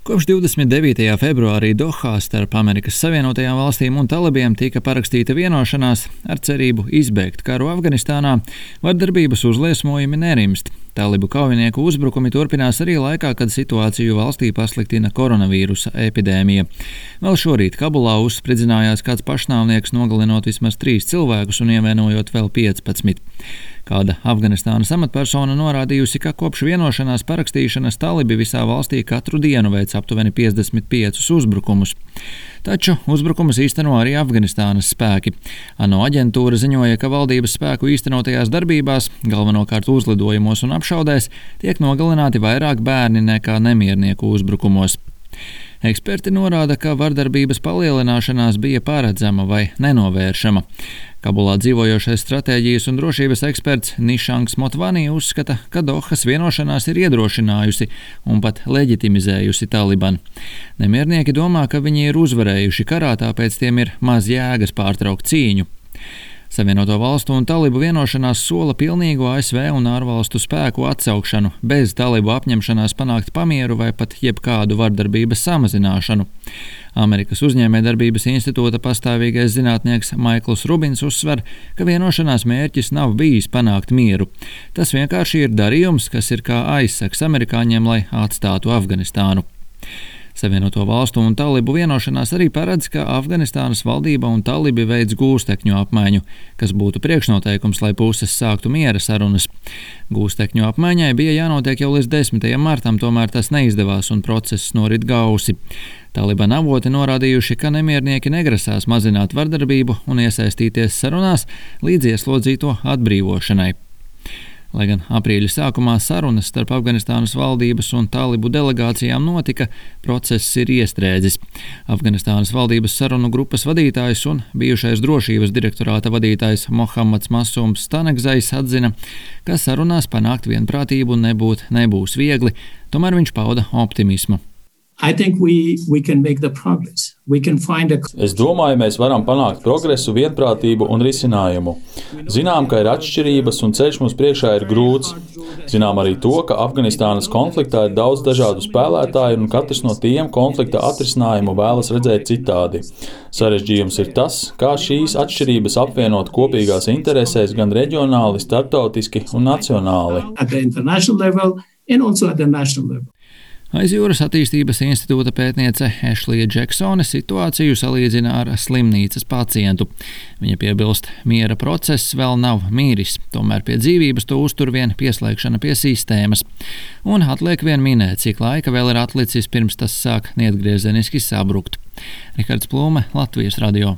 Kopš 29. februārī Dohā starp Amerikas Savienotajām valstīm un talibiem tika parakstīta vienošanās ar cerību izbēgt karu Afganistānā, vardarbības uzliesmojumi nerimst. Talibu kaujinieku uzbrukumi turpinās arī laikā, kad situāciju valstī pasliktina koronavīrusa epidēmija. Vēl šorīt Kabulā uzspridzinājās kāds pašnāvnieks, nogalinot vismaz 3 cilvēkus un ievainojot vēl 15. Kāda Afganistānas amatpersona norādījusi, ka kopš vienošanās parakstīšanas talibi visā valstī katru dienu veic aptuveni 55 uzbrukumus. Taču uzbrukumus īsteno arī Afganistānas spēki. ANO aģentūra ziņoja, ka valdības spēku īstenotajās darbībās, galvenokārt uzlidojumos un apšaudēs, tiek nogalināti vairāk bērni nekā nemiernieku uzbrukumos. Eksperti norāda, ka vardarbības palielināšanās bija paredzama vai nenovēršama. Kabulā dzīvojošais stratēģijas un drošības eksperts Nišangs Motvani uzskata, ka Dohas vienošanās ir iedrošinājusi un pat leģitimizējusi Taliban. Nemiernieki domā, ka viņi ir uzvarējuši karā, tāpēc tiem ir maz jēgas pārtraukt cīņu. Savienoto valstu un talibu vienošanās sola pilnīgu ASV un ārvalstu spēku atsaukšanu, bez talibu apņemšanās panākt pamieru vai pat jebkādu vardarbības samazināšanu. Amerikas uzņēmējdarbības institūta pastāvīgais zinātnieks Maikls Rubins uzsver, ka vienošanās mērķis nav bijis panākt mieru. Tas vienkārši ir darījums, kas ir kā aizsaks amerikāņiem, lai atstātu Afganistānu. Savienoto valstu un talibu vienošanās arī paredz, ka Afganistānas valdība un talibi veids gūstekņu apmaiņu, kas būtu priekšnoteikums, lai puses sāktu miera sarunas. Gūstekņu apmaiņai bija jānotiek jau līdz 10. martam, tomēr tas neizdevās un process norit gausi. Taliban avoti norādījuši, ka nemiernieki negrasās mazināt vardarbību un iesaistīties sarunās līdz ieslodzīto atbrīvošanai. Lai gan aprīļa sākumā sarunas starp Afganistānas valdības un talibu delegācijām notika, process ir iestrēdzis. Afganistānas valdības sarunu grupas vadītājs un bijušais drošības direktorāta vadītājs Mohammads Masums Stanegzais atzina, ka sarunās panākt vienprātību nebūs viegli, tomēr viņš pauda optimismu. Es domāju, mēs varam panākt progresu, vienprātību un risinājumu. Zinām, ka ir atšķirības un ceļš mums priekšā ir grūts. Zinām arī to, ka Afganistānas konfliktā ir daudz dažādu spēlētāju un katrs no tiem konflikta atrisinājumu vēlas redzēt citādi. Sarežģījums ir tas, kā šīs atšķirības apvienot kopīgās interesēs gan reģionāli, starptautiski un nacionāli. Aiz jūras attīstības institūta pētniece Ešlija Džeksone situāciju salīdzina ar slimnīcas pacientu. Viņa piebilst, miera process vēl nav mīris, tomēr pie dzīvības to uztur vien pieslēgšana pie sistēmas. Un atliek vien minēt, cik laika vēl ir atlicis pirms tas sāk neatgriezeniski sabrukt. Rihards Plūme, Latvijas radio.